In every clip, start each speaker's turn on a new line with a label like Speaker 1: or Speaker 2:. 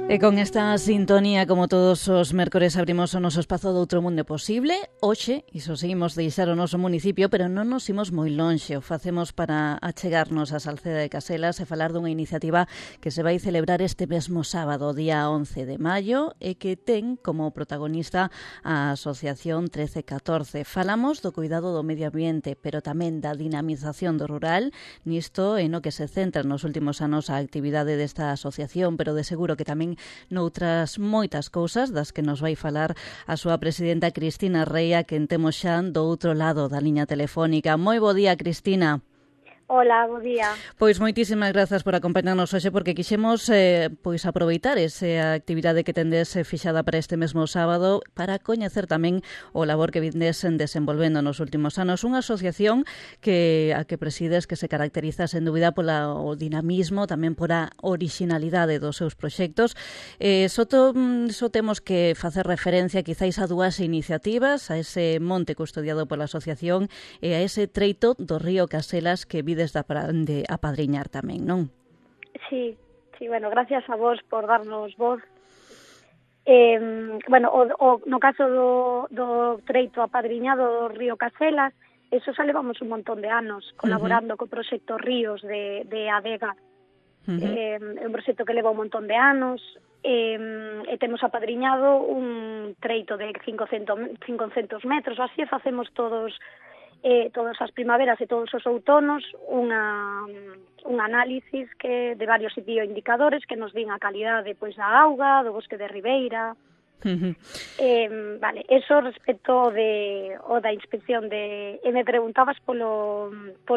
Speaker 1: E con esta sintonía, como todos os mércores, abrimos o noso espazo do outro mundo posible. Hoxe, iso seguimos deixar o noso municipio, pero non nos imos moi lonxe. O facemos para achegarnos a Salceda de Caselas e falar dunha iniciativa que se vai celebrar este mesmo sábado, día 11 de maio, e que ten como protagonista a Asociación 1314. Falamos do cuidado do medio ambiente, pero tamén da dinamización do rural. Nisto é no que se centra nos últimos anos a actividade desta asociación, pero de seguro que tamén noutras moitas cousas das que nos vai falar a súa presidenta Cristina Reia, que temos xa do outro lado da liña telefónica. Moi bo día, Cristina.
Speaker 2: Hola, bo día.
Speaker 1: Pois moitísimas grazas por acompañarnos hoxe, porque quixemos pois aproveitar esa actividade que tendes fixada para este mesmo sábado para coñecer tamén o labor que vindes desenvolvendo nos últimos anos. Unha asociación a que presides que se caracteriza sen dúbida polo dinamismo, tamén pola orixinalidade dos seus proxectos. Só temos que facer referencia quizáis a dúas iniciativas, a ese monte custodiado pola asociación e a ese treito do río Caselas que vides de apadriñar tamén, non?
Speaker 2: Sí, bueno, gracias a vos por darnos voz. No caso do treito apadriñado do río Caselas, eso xa levamos un montón de anos colaborando co proxecto Ríos de ADEGA. É un proxecto que leva un montón de anos e temos apadriñado un treito de 500 metros, así facemos todas as primaveras e todos os outonos un análisis de varios bioindicadores que nos din a calidade da auga, do bosque de ribeira. Eso respecto da inspección e me preguntabas polo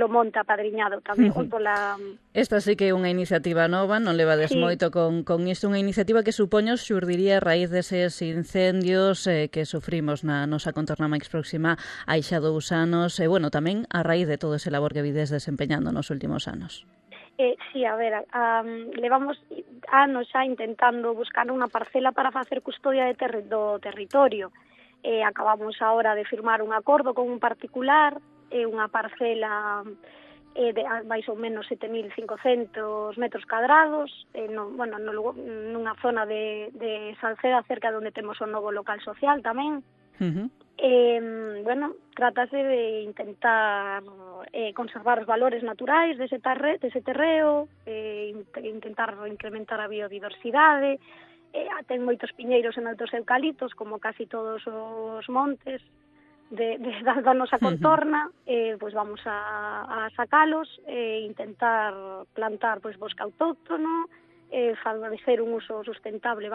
Speaker 2: monte apadriñado tamén.
Speaker 1: Esta sí que é unha iniciativa nova, non levades moito con isto, unha iniciativa que supoño xurdiría a raíz deses incendios que sufrimos na nosa contorna máis próxima hai xa 2 anos, e tamén a raíz de todo ese labor que vides desempeñando nos últimos anos.
Speaker 2: Levamos anos xa intentando buscar unha parcela para facer custodia do territorio. Acabamos agora de firmar un acordo con un particular, unha parcela de máis ou menos 7.500 metros cadrados, nunha zona de Salceda, cerca de onde temos o novo local social tamén. Trátase de intentar conservar os valores naturais dese terreo, intentar incrementar a biodiversidade. Ten moitos piñeiros e moitos eucaliptos, como casi todos os montes da nosa contorna. Vamos a sacalos e intentar plantar bosque autóctono, favorecer un uso sustentable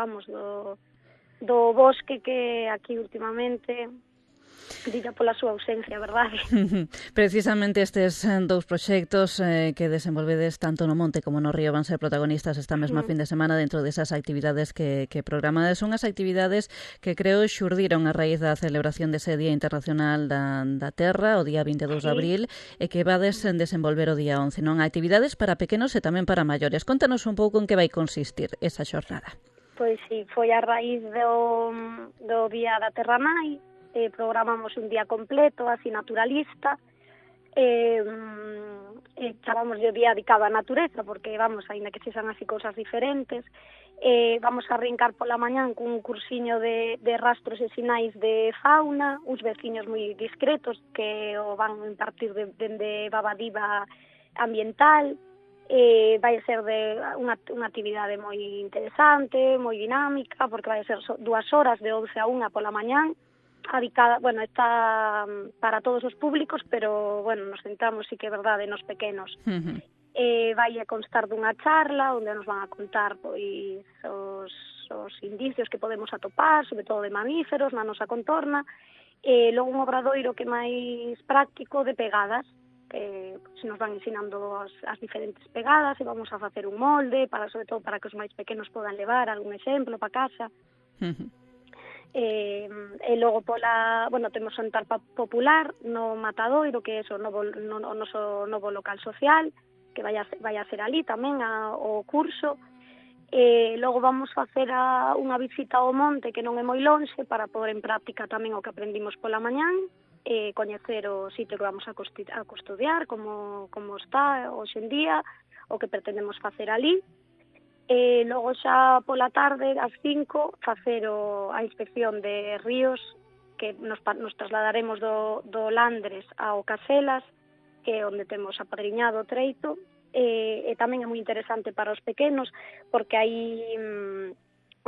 Speaker 2: do bosque, que aquí últimamente dilla pola súa ausencia, verdade?
Speaker 1: Precisamente estes 2 proxectos que desenvolvedes tanto no monte como no río van ser protagonistas esta mesma fin de semana dentro desas actividades que programades. Unhas actividades que creo xurdiron a raíz da celebración dese Día Internacional da Terra, o día 22 de abril, e que vades desenvolver o día 11, non? Actividades para pequenos e tamén para maiores. Contanos un pouco en que vai consistir esa xornada.
Speaker 2: Pois sí, foi a raíz do Día da Terra Nai. Programamos un día completo, así naturalista, chamamos o día dedicado á natureza, porque aínda que sexan así cousas diferentes, vamos a arrincar pola mañán cun cursiño de rastros e sinais de fauna, uns veciños moi discretos que o van impartir dende Babadiva ambiental. Vai ser unha actividade moi interesante, moi dinámica, porque vai ser 2 horas de 11 a 1 pola mañán, dedicada, está para todos os públicos, pero, nos centramos, sí que é verdade, nos pequenos. Vai a constar dunha charla onde nos van a contar os indicios que podemos atopar, sobre todo de mamíferos na nosa contorna, e logo un obradoiro que é máis práctico de pegadas, que nos van ensinando as diferentes pegadas, e vamos a facer un molde, sobre todo para que os máis pequenos podan levar algún exemplo para casa. E logo temos o jantar popular no Matadoiro, que é o noso novo local social, que vai a ser ali tamén o curso. Logo vamos facer unha visita ao monte, que non é moi lonxe, para pôr en práctica tamén o que aprendimos pola mañán, coñecer o sitio que vamos a custodiar, como está hoxe en día, o que pretendemos facer ali. Logo xa pola tarde, ás 5, facer a inspección de ríos, que nos trasladaremos do Landres ao Caselas, que é onde temos apadriñado o treito, e tamén é moi interesante para os pequenos, porque aí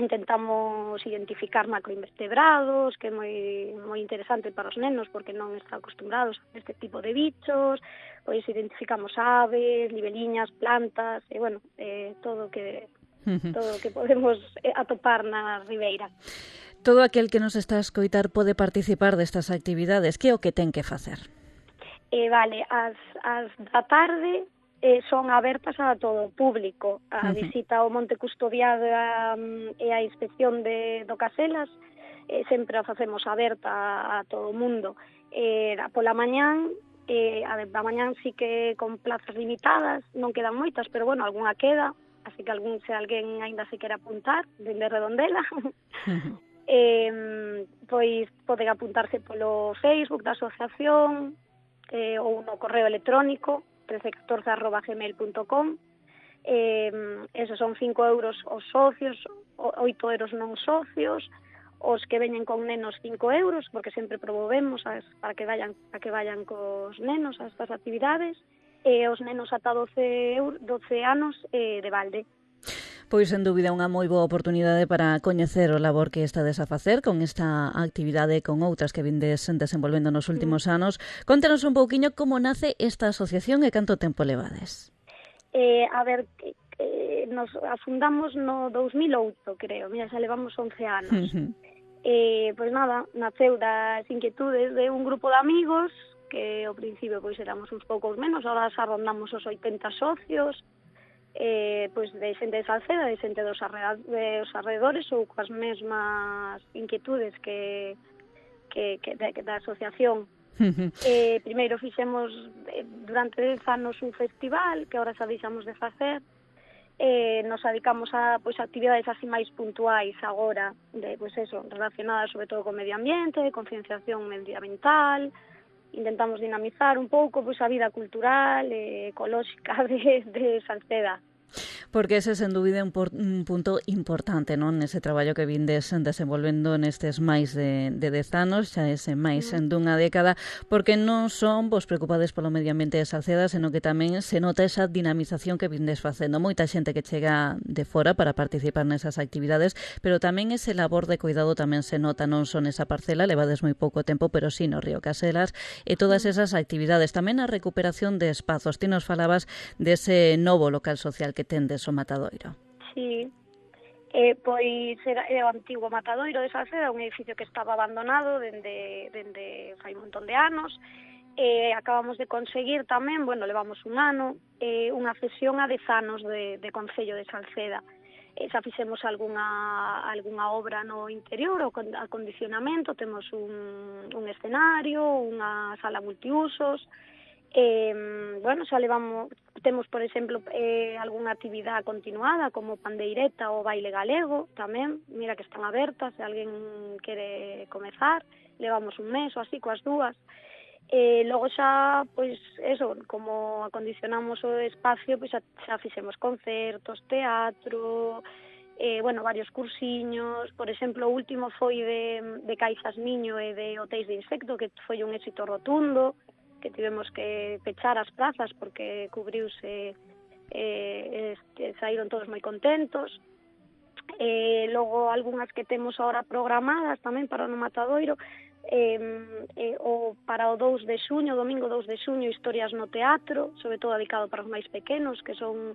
Speaker 2: intentamos identificar macroinvertebrados, que é moi interesante para os nenos, porque non están acostumbrados a este tipo de bichos, pois identificamos aves, libeliñas, plantas, e bueno, todo o que podemos atopar na ribeira.
Speaker 1: Todo aquel que nos está a escoitar pode participar destas actividades. Que é o que ten que facer?
Speaker 2: Vale, as da tarde son abertas a todo o público. A visita ao Monte Custodiado e a inspección do Caselas sempre a facemos aberta a todo o mundo. Pola mañán, a mañán sí que con plazas limitadas, non quedan moitas, pero bueno, algunha queda, así que se alguén aínda se quere apuntar, dende Redondela, pois poden apuntarse polo Facebook da asociación ou no correo electrónico 1314@gmail.com. Esos son 5 euros os socios, 8 euros non socios, os que veñen con nenos 5 euros, porque sempre promovemos para que vayan cos nenos a estas actividades, e os nenos ata 12 anos de balde.
Speaker 1: Pois, sen dúbida, unha moi boa oportunidade para coñecer o labor que estades a facer con esta actividade e con outras que vindes desenvolvendo nos últimos anos. Contanos un pouquiño como nace esta asociación e canto tempo levades.
Speaker 2: Nos afundamos no 2008, creo. Mira, xa levamos 11 anos. Pois nada, naceu das inquietudes de un grupo de amigos que ao principio pois éramos uns poucos menos, ahora xa rondamos os 80 socios, pois de xente de Salceda, de xente dos arredores ou coas mesmas inquietudes que da asociación. Primeiro fixemos durante 10 anos un festival que agora xa deixamos de facer. Nos dedicamos a actividades así máis puntuais agora, relacionadas sobre todo con medio ambiente, concienciación medioambiental. Intentamos dinamizar un pouco a vida cultural e ecolóxica de Salceda.
Speaker 1: Porque ese, sen dúbida, é un punto importante, non? Nese traballo que vindes desenvolvendo nestes máis de 10 anos, xa ese máis dunha década, porque non son vos preocupades polo medio ambiente de Salceda, senón que tamén se nota esa dinamización que vindes facendo. Moita xente que chega de fora para participar nesas actividades, pero tamén ese labor de cuidado tamén se nota, non son esa parcela, levades moi pouco tempo, pero sí no Río Caselas, e todas esas actividades. Tamén a recuperación de espazos. Ti nos falabas dese novo local social que tendes o Matadoiro.
Speaker 2: Sí, pois era o antigo Matadoiro de Salceda, un edificio que estaba abandonado dende fai un montón de anos. Acabamos de conseguir tamén, levamos un ano, unha cesión a 10 anos de Concello de Salceda. Xa fixemos algunha obra no interior, o acondicionamento, temos un escenario, unha sala multiusos. Temos, por exemplo, algunha actividade continuada como pandeireta ou baile galego tamén, mira que están abertas, se alguén quere comezar, levamos un mes ou así coas dúas. Logo xa, como acondicionamos o espacio, xa fixemos concertos, teatro, varios cursiños. Por exemplo, o último foi de caixas niño e de hotéis de insecto, que foi un éxito rotundo, que tivemos que pechar as plazas porque cubriuse, saíron todos moi contentos. Logo, algunhas que temos ahora programadas tamén para o Matadoiro, para o 2 de xuño, domingo 2 de xuño, historias no teatro, sobre todo dedicado para os máis pequenos, que son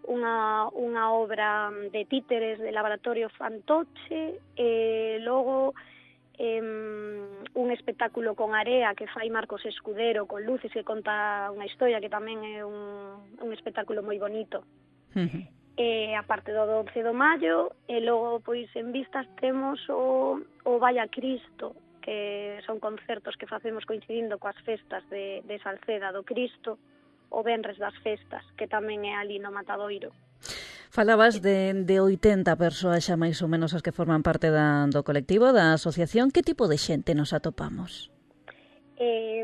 Speaker 2: unha obra de títeres de Laboratorio Fantoche, logo un espectáculo con area que fai Marcos Escudero con luces, que conta unha historia que tamén é un espectáculo moi bonito. A parte do 12 de maio, e logo en vistas temos o Vaya Cristo, que son concertos que facemos coincidindo coas festas de Salceda do Cristo, o venres das festas, que tamén é ali no Matadoiro.
Speaker 1: Falabas de 80 persoas xa máis ou menos as que forman parte do colectivo, da asociación. Que tipo de xente nos atopamos?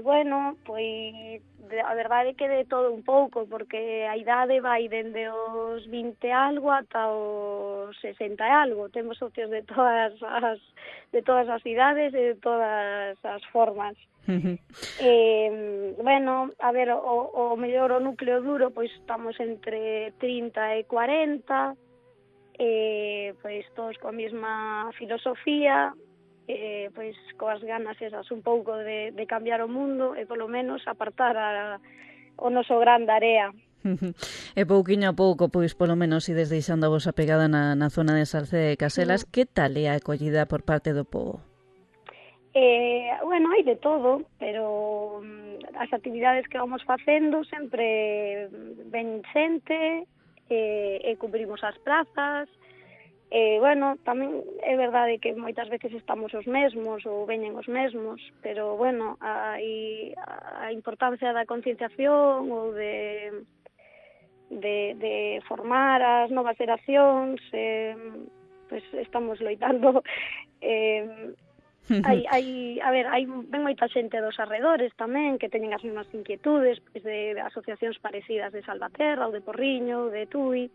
Speaker 2: Bueno, pois a verdade é que de todo un pouco, porque a idade vai dende os 20 e algo ata os 60 e algo. Temos socios de todas as idades e de todas as formas. Bueno, a ver, o mellor o núcleo duro, pois estamos entre 30 e 40, pois todos coa mesma filosofía, pois coas ganas esas un pouco de cambiar o mundo e polo menos apartar o noso gran da area.
Speaker 1: E pouquiño a pouco, pois polo menos ides deixando a vosa pegada na zona de Salceda de Caselas. Que tal é a acollida por parte do pobo?
Speaker 2: Bueno, hai de todo, pero as actividades que vamos facendo sempre ven xente, e cubrimos as prazas. Bueno, tamén é verdade que moitas veces estamos os mesmos ou veñen os mesmos, pero bueno, a importancia da concienciación ou de formar as novas xeracións, pois estamos loitando. Ven moita xente dos arredores tamén que teñen as mesmas inquietudes, pois de asociacións parecidas de Salvaterra ou de Porriño ou de Tui.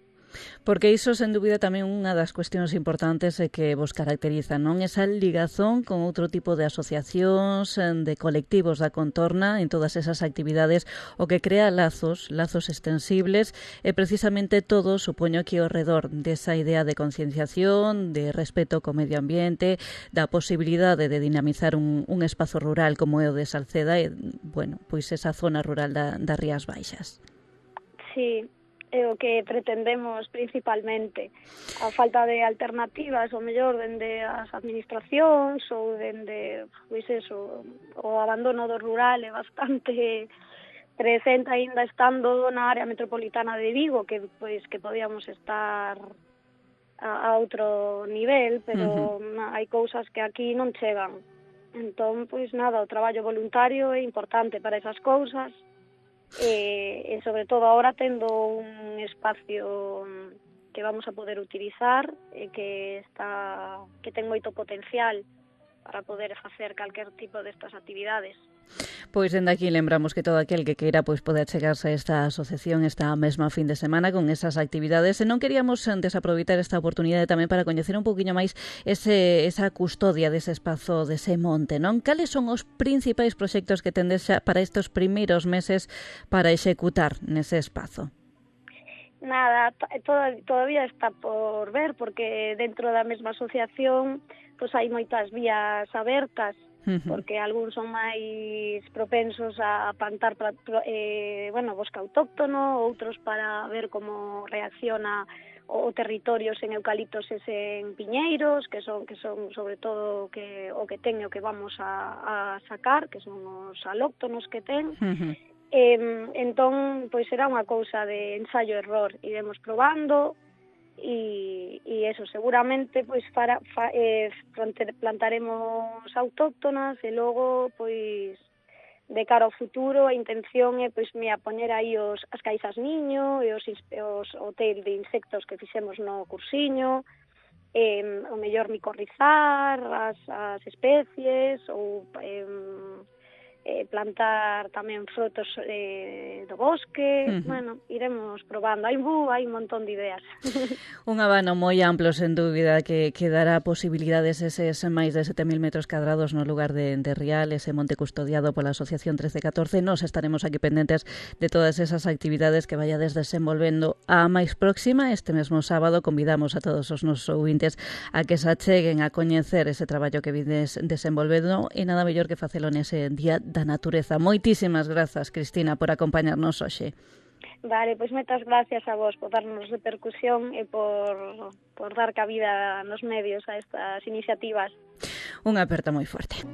Speaker 1: Porque iso, sen dúbida, tamén unha das cuestións importantes que vos caracteriza, non? Esa ligazón con outro tipo de asociacións, de colectivos da contorna, en todas esas actividades, o que crea lazos extensibles, e precisamente todo, supoño que ao redor desa idea de concienciación, de respeto co medio ambiente, da posibilidade de dinamizar un espazo rural como é o de Salceda, e, bueno, pois esa zona rural das Rías Baixas.
Speaker 2: Sí, é o que pretendemos principalmente. A falta de alternativas, o mellor, dende as administracións ou dende, pois eso, o abandono do rural é bastante presente aínda estando na área metropolitana de Vigo, que pois que podíamos estar a outro nivel, pero hai cousas que aquí non chegan. Entón, pois nada, o traballo voluntario é importante para esas cousas. E sobre todo ahora tendo un espacio que vamos a poder utilizar e que ten moito potencial para poder facer calquer tipo destas actividades.
Speaker 1: Pois dende aquí lembramos que todo aquel que queira pois pode achegarse a esta asociación esta mesma fin de semana con esas actividades, e non queríamos desaproveitar esta oportunidade tamén para coñecer un poquinho máis esa custodia dese espazo, dese monte, non? Cales son os principais proxectos que tendes xa para estes primeiros meses para executar nese espazo?
Speaker 2: Nada, todavía está por ver, porque dentro da mesma asociación pois hai moitas vías abertas, porque algúns son máis propensos a plantar bosque autóctono, outros para ver como reacciona o territorio sen eucaliptos e sen piñeiros, que son sobre todo o que ten e o que vamos a sacar, que son os alóctonos que ten. Entón, pois será unha cousa de ensayo-error, iremos probando. E eso, seguramente pois plantaremos autóctonas e logo pois de cara ao futuro a intención é pois a poñer aí as caixas niño e os hotel de insectos que fixemos no cursiño, o mellor micorrizar as especies ou plantar tamén frutos do bosque. Bueno, iremos probando. Hai un montón de ideas.
Speaker 1: Un abano moi amplo, sen dúbida, que dará posibilidades eses máis de 7.000 metros cadrados no lugar de Rial, ese monte custodiado pola Asociación 1314. Nos estaremos aquí pendentes de todas esas actividades que vayades desenvolvendo. A máis próxima, este mesmo sábado, convidamos a todos os nosos ouvintes a que se acheguen a coñecer ese traballo que vides desenvolvendo, e nada mellor que facelo nese Día da Natureza. Moitísimas grazas, Cristina, por acompañarnos hoxe.
Speaker 2: Vale, pois moitas gracias a vos por darnos repercusión e por dar cabida nos medios a estas iniciativas.
Speaker 1: Unha aperta moi forte.